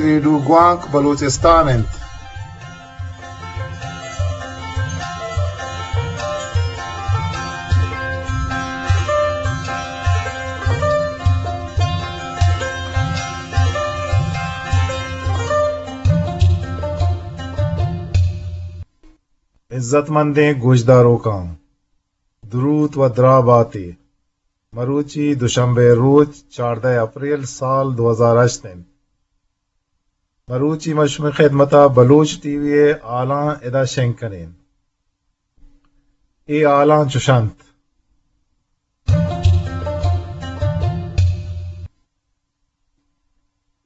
ریڈیو گوانک بلوچستان انت۔ عزت مندیں گوشداروکاں، دروت و دراہ باتے۔ مروچی دوشنبے روچ، چاردہ اپریل سال دو ہزار ہشت انت۔ مروچی ما شمئے خدمتا بلوچ ٹی وی ء ہالاں ادا شنگ کنیں۔ اے ہالاں چش انت۔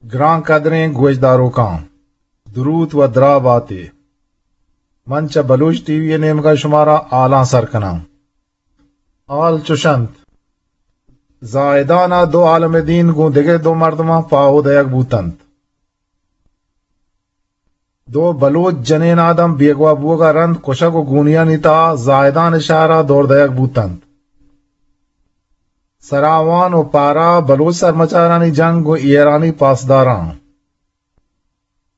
گران قدریں گوشداروکاں، دروت و دراہ باتے۔ من چہ بلوچ ٹی وی ء نیمگا شمارا ہالاں سر کناں۔ ہال چش انت، زاہدان ء دو عالم دین گوں دگہ دو مردماں پاہو دئیگ بوتنت۔ دو بلوچ جنین آدم بیگواہ بوگ ء رند کشگ و گونیانی تہا زاہدان شہر ء دور دئیگ بوتنت۔ سراوان و پارا بلوچ سرمچارانی جنگ گوں ایرانی پاسداراں۔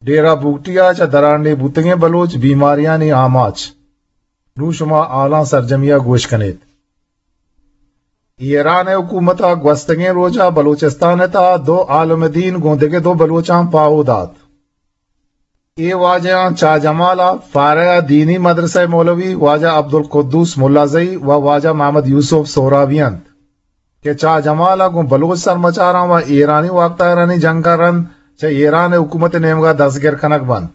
ڈیرہ بگٹی ء چہ درانڈیھ بوتگیں بلوچ بیماریانی آماچ۔ نوں شما ہالاں سرجمی ء گوش کنیت۔ ایران ء حکومت ء گوستگیں روچ ء بلوچستان ء تہا دو عالم دین گوں دگہ دو بلوچاں پاہو دات۔ اے واجہاں چاہ جمال ء فارہ ء دینی مدرسہ ء مولوی واجہ عبدالقدوس ملازئی و واجہ محمد یوسف سہرابی انت کہ چاہ جمال ء گوں بلوچ سرمچاراں و ایرانی واکدارانی جنگ ء رند چہ ایران ء حکومت ء نیمگ ء دستگر کنگ بنت۔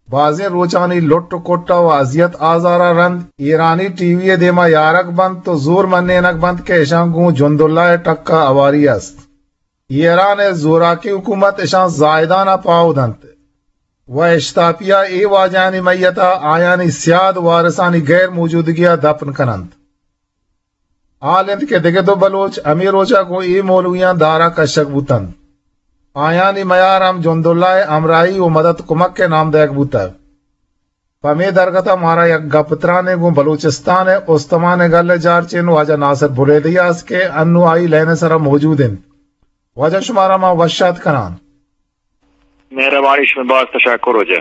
بازیں روچانی لٹ و کٹ ء و اذیت آزار ء رند ایرانی ٹی وی ء دیما یارگ بنت و زور منینگ بنت کہ اشاں گوں جنداللہ ء ٹک ء ہواری است۔ ایران ء زوراکیں حکومت اشاں زاہدان ء پاہو دنت و اشتاپی ء اے واجہانی میت ء آیانی سیاد وارثانی غیر موجودگی ء دپن کن انت۔ حال انت کہ دگہ دو بلوچ ہمے روچ ء گوں اے مولویاں دار ء کشگ بوت انت۔ آیانی میار ہم جنداللہ ء ہمراہی و مدد کمک ء نام دئیگ بوتگ۔ پمے درگت ء مارا یک گپ ترانے گوں بلوچستان ء استمان ء گل ء جارچین واجہ ناصر بلیدی ء است کہ انوں آئی لائن ء سرا موجود انت۔ واجہ شمارا ما وش آتک کنان۔ مہربانی، شمئے باز تشکر واجہ۔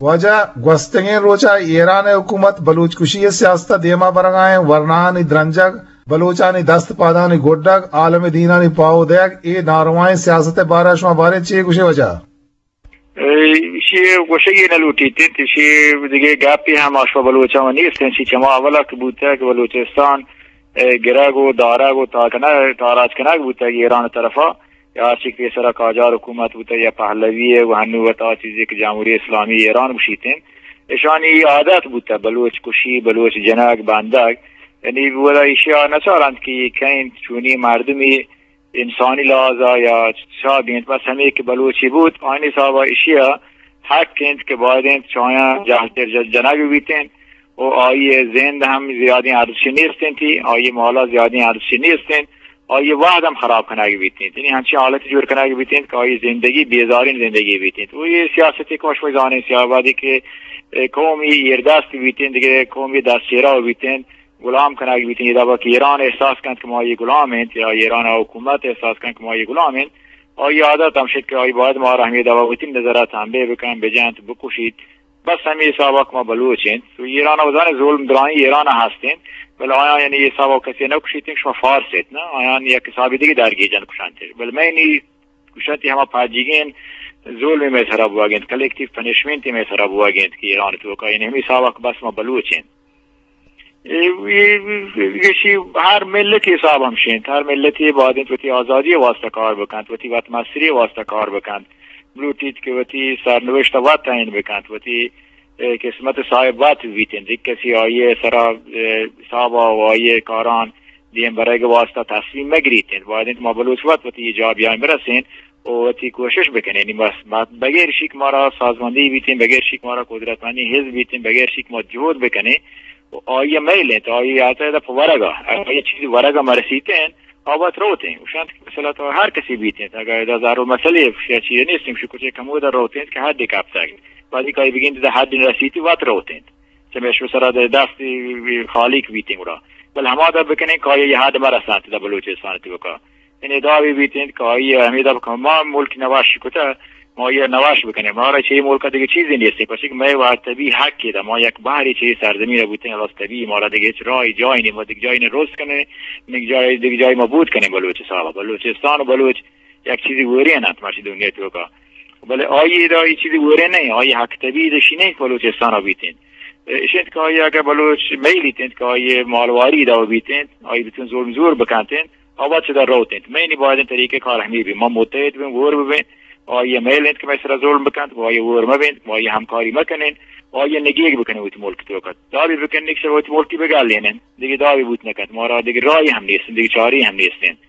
واجہ، گوستگیں روچ ء ایران ء حکومت بلوچ کشی ء سیاست ء دیما برگائیں ورناہانی درنجگ، بلوچانی دست پادانی گڈگ، عالم دینانی پاہو دئیگ، اے ناروائیں سیاست ء بارہ ء شما باریں چے گوشے واجہ؟ ایشی ء گوشگ ء نہ لوٹیت انت، ایشی ء دگہ گپے ہم آ شما بلوچاں نیست انت، چی چما اولا کہ بوتگ کہ بلوچستان ء گرگ و دارگ و تاکنگ، تاراج کنگ بوتگ ایران ء طرفا، یا ہرچی کہ پیسرا قاجار حکومت بوتگ یا پہلوی ء و ہنو وتا چیزے کہ جمہوری اسلامی ایران گوشیت انت، اشانی عادت بوتگ بلوچ کشی، بلوچ جنگ، بندگ، یعنی ودا ایشی ء نہ چارنت کہ اے کئے انت، چونی مردمی انسانی لحاظ ء یا چا بینت، بس ہمے کہ بلوچی بوت، آیانی حساب ء ایشی ء حق انت کہ باید انت چہ آیاں جہل تر ج-، جنگ بیت انت و آئی ء زند ہم زیادیں ارزشی نیست انت، آئی ء مال ء زیادیں ارزشی نیست انت، آئی ء وہد ہم خراب کنگ بیت انت۔ یعنی ہنچیں حالت جوڑ کنگ بیت انت کہ آئی ء زندگی بیزاریں زندگی بیت انت۔ و اے سیاستے کہ ما شما زانیں، سیاہ وہدے کہ، اے، قومی ایردست بیت انت، دگہ قومی دست چیرا بیت انت، غلام کنگ بیت انت، ادا کہ ایران احساس کنت کہ ما آئی غلام انت یا ایران حکومت احساس کنت کہ ما آئی غلام انت، آئی عادت ہمش انت کہ آئی باید مارا ہمے دوا وتی نظر ء تنبیہ بکن، بجنت، بکشیت۔ بس ہمے حساب ء کہ ما بلوچ انت۔ تو ایران ء بزاں ظلم درائیں ایران ء ہست انت، بلے آیاں یعنی اے حساب ء کسی نہ کشیت انت کہ شما فارس ات، نہ، آیاں یک حسابے دگہ درگیجن کشنت۔ بلے مئے نی گوشنت ہما پجیگیں ظلم مئے سرا بوگ انت، کلیکٹیو پنشمنٹ مئے سرا بوگ انت کہ ایران توکا، یعنی ہمے حساب ء کہ بس ما بلوچ انت۔ اے، اے، اے، ایشی ہر ملتی حساب ہمش انت، ہر ملتی باید انت وتی آزادی واسطہ کار بکنت، وتی وت مستری واسطہ کار بکنت، بلوٹیت کہ وتی سرنوشت وت تعین بکنت، وتی، اے، قسمت صاحب وت بیت انت، یک کسی آئی سرا، اے، حساب و آئی کاران دیم برگ واسطہ تصمیم مگریت انت۔ باید انت ما بلوچ وت وتی جا بیاین برسین و وتی کوشش بکنیں۔ یعنی بس، بس بغیر شک مارا سازمندی بیتیں، بغیر شک مارا قدرتمندی حزب بیتیں، بغیر شک ما جہد بکنیں و آئی میل انت، آئی آتا ادا پہ ورگا، اگر آئی چیزی ورگا مرسیتیں، آ وت روتیں۔ گوشنت کہ مثلا تو ہر کسی بیتیں، اگر ادا ضرور مسئلے یا چیزے نیستیں، گوشی کچے کمودا روتیں کہ حد کپتگ۔ بعدی کائی بگین دا حد رسیتی وت روتیں۔ چمیش سرا دست خالیک بیتیں گڑا۔ بل ہما دا بکنیں کہ آئی حد مرسانت دا بلوچستان توکا۔ یعنی دعوی بیت انت کہ آئی ء ہمے دپ کہ ما ملک نوش کتہ، ما آئی ء نوش بکنیں، مارا چہ اے ملک ء دگہ چیزے نیست، پرچہ کہ مئے وت طبیعی حق ادا، ما یک بہرے چہ اے سرزمین ء بوتیں، خلاص طبیعی مارا دگہ ہچ راہے جاہے نیست، ما دگہ جاہے نہ رست کنیں، دگہ جاہے، دگہ جاہے ما بود کنیں بلوچ حساب ء۔ بلوچستان و بلوچ یک چیزے وورین انت مرچی دنیا توکا۔ بلے آئی ادا اے چیزے وورین نہ انت، آئی حق طبیعی اشی نہ انت بلوچستان ء بیت انت۔ اش انت کہ آئی اگہ بلوچ میلیت انت کہ آئی مالواری ادا بیت انت، آئی بتون ظلم زور بکنت انت، آ وت چدا روت انت۔ مئے نی باید انت طریقہ کار ہمے بی، ما متحد بیں، وور ببیں، آئی میل انت کہ مئے سرا ظلم بکنت، آئی وور مبیں، آئی ہمکاری مکنیں، آئی نگیگ بکنیں وتی ملک توکا۔ دعوی بکنیں کہ وتی ملکی بگالینیں، دگہ دعوی بوت نکنت، مارا دگہ راہی ہم نیست، دگہ چارے ہم نیست انت۔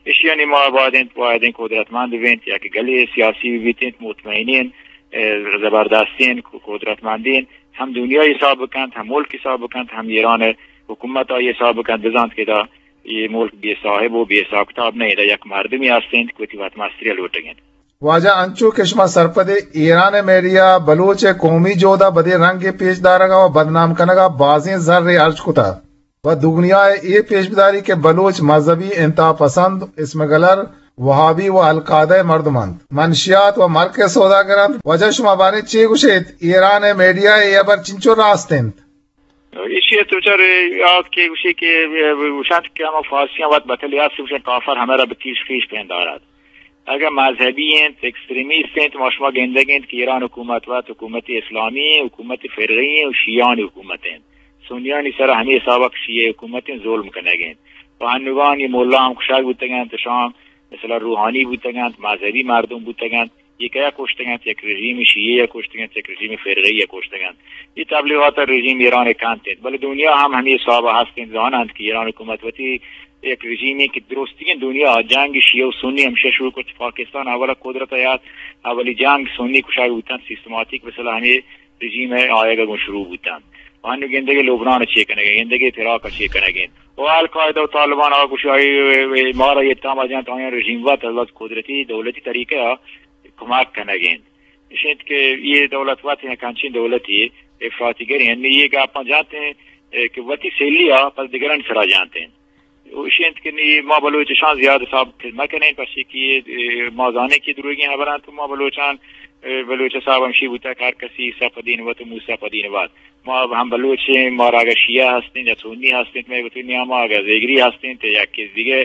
اشیانی ما باید انت، باید انت قدرتمند ببینت، یک گلے سیاسی ببیت انت، مطمئنین، اه، زبردستین، قدرتمندین، ہم دنیا حساب بکنت، ہم ملک حساب بکنت، ہم ایران حکومت آئی حساب بکنت، بزانت کہ دا یہ ملک بے صاحب و بے حساب کتاب نہیں، دا یک مردمی ہستین کہ وتی وت مستری لوٹگین۔ واجہ، انچو کہ شما سرپدے، ایران ء میڈیا بلوچ ء قومی جہد ء بدیں رنگے پیش دارگ ء و بدنام کنگ ء بازیں زرے ہرچ کتہ و دگنیا ء اے پیش بداری کہ بلوچ مذہبی انتہا پسند، اسم گلر، وہابی و القاعدہ ء مردم انت، منشیات و مرک ء سوداگر انت۔ واجہ، شما باریں چے گوش ایت؟ ایران ء میڈیا ء اے ہبر چنچو راست انت؟ ایشی ء تو چر یاد کہ گوشی کہ گوشنت کہ ہما فارسیاں وت بتلی است، گوشن کافر ہمے را بہ کیش خیش پندارد۔ اگہ مذہبی انت، ایکستریمیست انت، ما شما گندگ انت کہ ایران حکومت وت حکومت اسلامی انت، حکومت فرقی انت و شیعانی حکومت انت۔ سنیانی سرا ہمے حسابا کہ شیعہ حکومت انت، ظلم کنگ انت۔ و ہنوگان یہ ملا ہم کشگ بوتگ انت، شام مثلا روحانی بوتگ انت، مذہبی مردم بوتگ انت، یہ کیا کشتگ انت؟ یک رژیم شیعہ یا کشتگ انت، یک رژیم فرقی یا کشتگ انت۔ یہ تبلیغات رژیم ایران کنت انت، بلے دنیا ہم ہمے حساب ہست انت، زان انت کہ ایران حکومت وتی یک رژیمی کہ درستگیں دنیا جنگ شیعہ و سنی ہمشہ شروع کرت۔ پاکستان اولا قدرت یات، اولی جنگ سنی کشگ بوتن، سیستماتیک مثلا ہمے رژیم ء آیگ ء گوں شروع بوتنت۔ و انو گندگے لبنان ء چے کنگ ء، گندگے عراق ء چے کنگ ء انت۔ و القاعدہ و طالبان آ گوشی آئی مارا یہ تام جنت، آیاں رژیم وت از قدرتی دولتی طریقہ ء کمک کنگ ء انت۔ اش انت کہ یہ دولت وت یک انچیں دولتی افراطی گری انت، یہ گپاں جنت انت کہ وتی سیلی ء پس دگرانی سرا جنت انت۔ و ایشی انت کہ نی ما بلوچ اشاں زیادہ ثابت مہ کنیں، پرچے کہ، اے، ما زانیں کہ دروگیں ہبر انت، ما بلوچان، اے، بلوچ صاحب ہمشی بوتا کہ ہر کسی عیسی پہ دین وت و موسی پہ دین وت۔ ما ہم بلوچ ایں، مارا اگہ شیعہ ہستیں یا سنی ہستیں، مئے وتی نیاما اگہ زیگری ہستیں، یا کہ دیگہ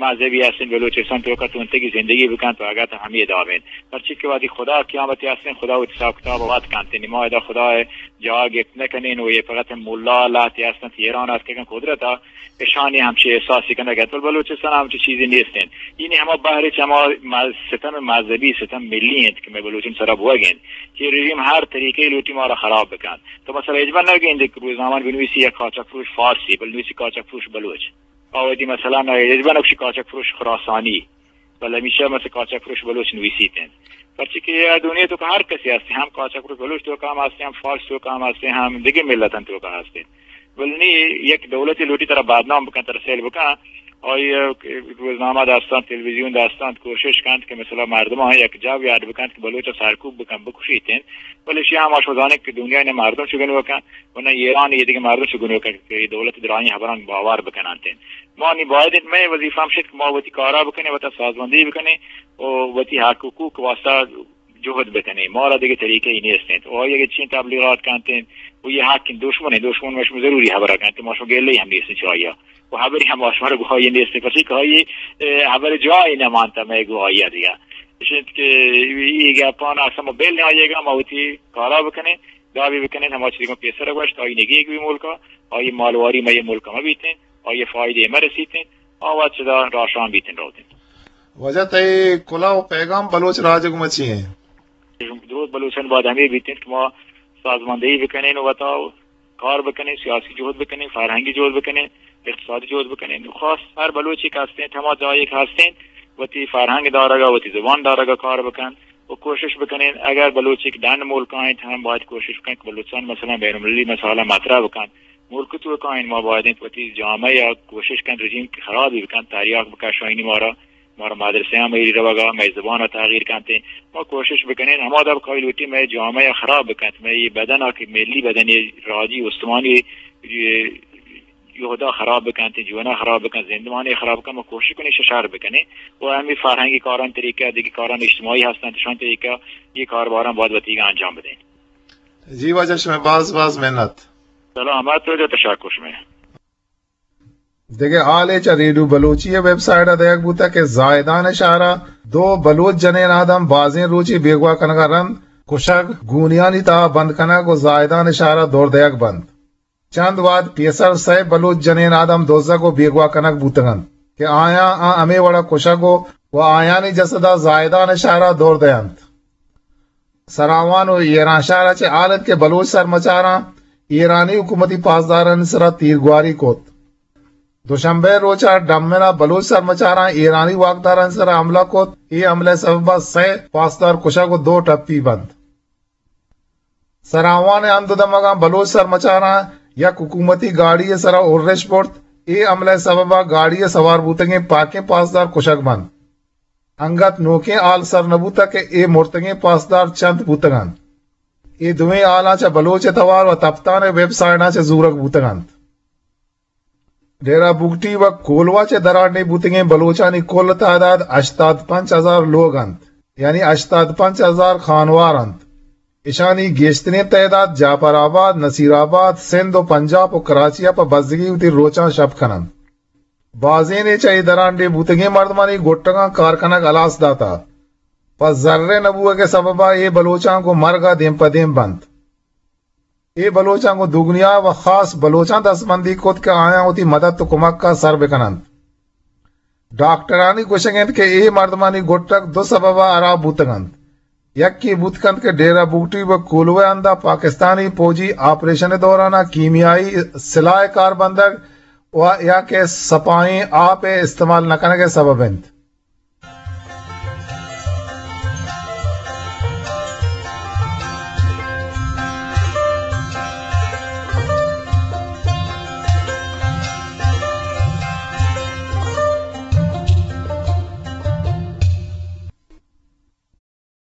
مذہبی ہستیں، بلوچستان توکا تونتگی زندگی بکنت و اگہ تو ہمے داب انت۔ پرچے کہ وہدی خدا قیامتی ہستیں، خدا وتی حساب کتاب وت کنت۔ نی ما ادا خدا جاہ گپت نہ کنیں و یہ فقط ملا لہتے ہستنت، ایران اتکگن قدرت ء اشانی ہمچی احساسی کنگ ء انت، بلے بلوچستان ء ہمچی چیزے نیست انت۔ اینی ہما بہر چہ ہما مز-، ستم مذہبی، ستم ملی انت کہ مئے بلوچانی سرا بوگ ء انت کہ رژیم ہر طریقے لوٹی مارا خراب بکنت۔ تو مثلا ہچبر نہ گندے کہ روزنامہ بنویسی یک قاچاق فروش فارسی، بل نویسی قاچاق فروش بلوچ۔ آ وتی مثلا ہچبر نہ گوشی قاچاق فروش خراسانی۔ بلے ہمیشہ مثل قاچاق فروش بلوچ نویسیت انت۔ پرچے کہ اے دنیا تو کہ ہر کسی ہستے، ہم قاچاق فروش بلوچ تو کام ہستے، ہم فارس تو کام ہستے، ہم دیگه ملتان تو کام ہستے۔ بلے نی یک دولتی لوٹی ترا بدنام بکن، ترا سیل بکن، آئی روزنامہ داستان، تلویزیون داستان کوشش کنت کہ مثلا مردمان یک جا بیاد بکنت کہ بلوچ سرکوب بکن، بکشیت انت۔ بلے شی ہم آشو زانت کہ دنیا نے مردم چگن بکن، و نہ ایران یہ دیگه مردم چگن بکن کہ دولت درانی خبران باور بکنانت انت۔ ما نی باید انت، مئے وظیفہ ہمش انت کہ ما وتی کارا بکنیں، وتا سازماندہی بکنیں و وتی حق حقوق واسطہ جہد بکنیں۔ مارا دگہ طریقہ ای نیست انت۔ و آئی اگہ چین تبلیغات کنت انت و یہ حق انت، دشمن انت، دشمن مشم ضروری خبر کنت، ما شما گلے ہم نیست چاہیا و خبری ہم شما گواہی نیست، پرچے کہ آئی، اے، خبر جاہی نہ مانتا مئے گواہی دیگہ۔ اش انت کہ یہ گپان اصلا ما بل نہ آئیے گا، ما وتی کارا بکنیں، دعوی بکنیں، ہما چیزی کہ پیسر گوشت، آئی نگیگ بی ملکا، آئی مالواری مئے ملکا مہ بیتیں۔ آئی فائدہ مرسیت انت، آ وت چدا راشان بیت انت روت انت۔ واجہ تئی کلہ و پیغام بلوچ راج گوما چی انت؟ درود بلوچان باید ہمے بیت انت کہ ما سازماندہی بکنیں و وتا کار بکنیں، سیاسی جہد بکنیں، فرہنگی جہد بکنیں، اقتصادی جہد بکنیں۔ خاص ہر بلوچی کہ ہستیں، ہما جاہے کہ ہستیں، وتی فرہنگ دارگا، وتی زبان دارگا کار بکن و کوشش بکنیں۔ اگر بلوچی کہ ڈن ملکا انت، ہم باید کوشش بکنیں کہ بلوچستان مثلا بین المللی مسائل مطرح بکن۔ ملک توکا انت، ما باید انت وتی جامعہ یا کوشش کنت رژیم کہ خرابی بکنت، تریاک بکشائینی مارا، مارا مدرسہ ہم ایری روگا، مئے زبان تغییر کنت۔ ما کوشش بکنیں، ہما دب کائی لوٹی مئے جامعہ خراب بکنت، مئے یہ بدن کہ ملی بدن راجی استمانی، یہ یہودا خراب بکنت، جوانا خراب بکنت، زندمانی خراب بکنت، ما کوشش کنیں شر بکنیں و ہمیں فرہنگی کاران طریقہ، دیگه کاران اجتماعی ہستن، شان طریقہ یہ کارباران باید وتیگا انجام بدیں۔ جی واجہ، شما باز باز منت۔ سلامت و تشکر شما۔ دگہ حالے چہ ریڈیو بلوچی ءِ ویب سائٹ ءَ دئیگ بوتگ کہ زاہدان ءِ شہر ءَ دو بلوچ جنین آدم بازیں روچے بیگواہ کنگ ءَ رند کشگ، گونیانی تہا بند کنگ ءُ زاہدان ءِ شہر ءَ دور دئیگ بنت۔ چند وہد پیسر سئے بلوچ جنین آدم دزگ ءُ بیگواہ کنگ بوتگ انت کہ آیاں آ ہمے وڑ ءَ کشگ ءُ، ءُ آیانی جسد ءَ زاہدان ءِ شہر ءَ دور دئینت۔ سراوان ءُ ایرانشہر ءَ چہ حال انت کہ بلوچ سرمچاراں ایرانی حکومتی پاسدارانی سرا تیرگواری کت۔ دوشنبے ءِ روچ ءَ ڈمن ءَ بلوچ سرمچاراں ایرانی واکدارانی سرا حملہ کت۔ اے حملہ ءِ سبب ءَ سئے پاسدار کشگ ءُ دو ٹپی بنت۔ سراوان ءِ ہند ءُ دمگاں بلوچ سرمچاراں یک حکومتی گاڑی ءِ سرا ارش برت۔ اے حملہ ءِ سبب ءَ گاڑی ءَ سوار بوتگیں پاکیں پاسدار کشگ بنت۔ انگت نوکیں حال سر نہ بوتگ کہ اے مرتگیں پاسدار چنت بوتگ انت۔ اے دوئیں حالاں چہ بلوچ ءِ توار ءُ تپتان ءِ ویب سائٹاں چہ زورگ بوتگ انت۔ ڈیرہ بگٹی ءُ کولواہ ءَ چہ درانڈیھ بوتگیں بلوچانی کل تعداد ہشتاد پنچ ہزار لوگ انت، یعنی ہشتاد پنچ ہزار خانوار انت۔ اشانی گیشتریں تعداد جعفر آباد، نصیر آباد، سندھ ءُ پنجاب ءُ کراچی ءَ پہ بزگی وتی روچاں شپ کن انت۔ بازینے چہ اے درانڈیھ بوتگیں مردمانی گٹگاں کار کنگ ہلاس داتہ۔ پہ زر ءِ نہ بوہگ ءِ سبب ءَ اے بلوچاں گوں مرگ ءَ دیم پہ دیم بنت۔ اے بلوچاں گوں دگنیا ءَ خاص بلوچاں دستبندی کت کہ آیاں وتی مدد ءُ کمک ءَ سر بکن انت۔ ڈاکٹرانی گوشگ انت کہ اے مردمانی گٹگ دو سبب ءَ ہراب بوتگ انت۔ یکے بوت کنت کہ ڈیرہ بگٹی ءُ کولواہ ءِ ہند ءَ پاکستانی پوجی آپریشن ءِ دوران ءَ کیمیائی سلاہ ءِ کار بندگ ءُ یا کہ سپاہیں آپ ءِ استعمال نہ کنگ ءِ سبب انت۔